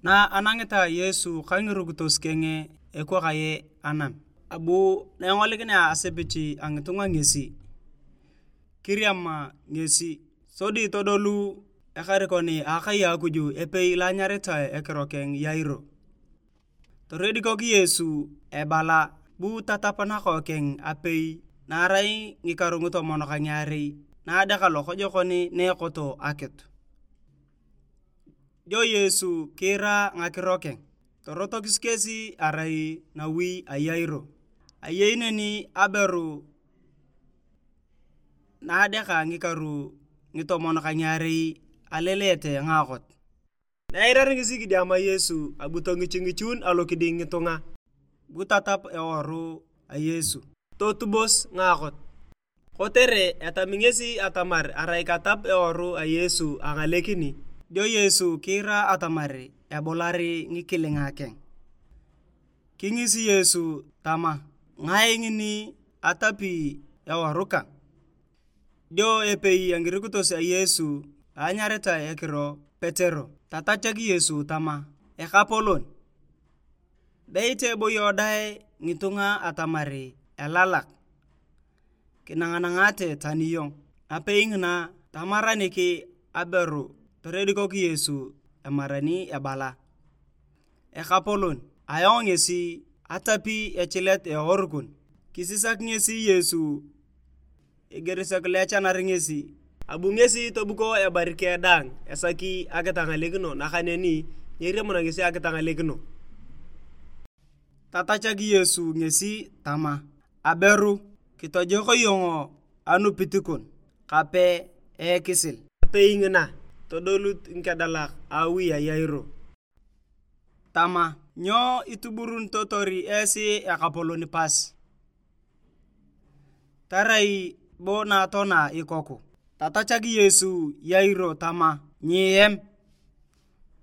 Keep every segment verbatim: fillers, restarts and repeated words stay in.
Na anangeta Yesu ka ngirukitos keng ekwakaye anam, abu na engolikinea asepich a ngitunga ngesi, kiriama ngesi, sodi todolu ekarikon a akai a Akuj epei lo anyaritae ekiro keng Yairo. Toredikok Yesu ebala, bu tatap nakookeng apei na arai ngikaru ngitomon ka ngiarei na adeak lokojokon na ekoto akitu. Dio Yesu kiira ngakiro keng, torotokis kesi arai nawi a Yairo. Ayei neni aberu na adeaka ngikaru ngitomon ka ngiarei alelete ngaakot. Na eirari ngesi kidiama Yesu, abu tongichingichun alokiding ngitunga, bu tatap eworu a Yesu, totubos ngaakot. Kotere etami ngesi atamar arai katap eworu a Yesu angalekini, dio Yesu kiira atamar ebulari ngikilinga keng. Kingisi Yesu tama, "Ngae ngini atapi eworu kang?" Dio epei a ngirukitos a Yesu anyaritae ekiro Petero, tatachak Yesu tama, "Ekapolon, beit eboyo dae ngitunga atamar elalak, kinanganangate tani iyong." Napei ngina, tamaranik aberu, toredikok Yesu emarani ebala, "Ekapolon, ayong ngesi, atapi echilet eworu kon." Kisisak ngesi Yesu eger sek lo echanar ngesi. Abu ngesi tobuko ebari keng daang esaki akitangalekino, nakaneni nyeriamuna ngesi akitangalekino. Tatachak Yesu ngesi tama, "Aberu, kitojok iyong anupit kon, kape ekisil." Apei ngina, todolut ngikedalak a awi a Yairo tama, "Nyo ituburunitotor esi ekapolon pas? Tarai bo na toana ikoku?" Tatachak Yesu Yairo tama, "Nyiem,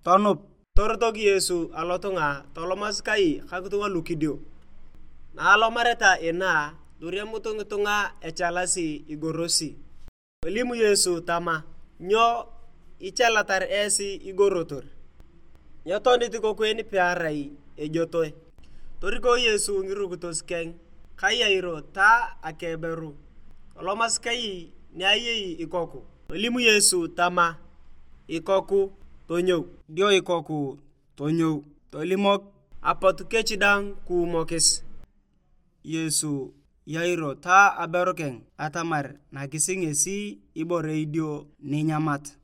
tonup." Torotok Yesu alotunga tolomasi kai ka ngitunga lukidio. Na alomareta inaa, toriamut ngitunga echalasi igorosi. Tolim Yesu tama, "Nyo ichalatar esi igorotor? Nyetonit ikoku en pearai ejotoe." Toriko Yesu ngirukitos keng ka Yairo ta akeberu, tolomasi kai ni ayei ikoku. Tolim Yesu tama, "Ikoku, tonyou." Dio ikoku tonyou, tolimok. Apot kech dang kuumokis Yesu Yairo ta aberu keng atamar nakis ngesi ibore idio ninyamat.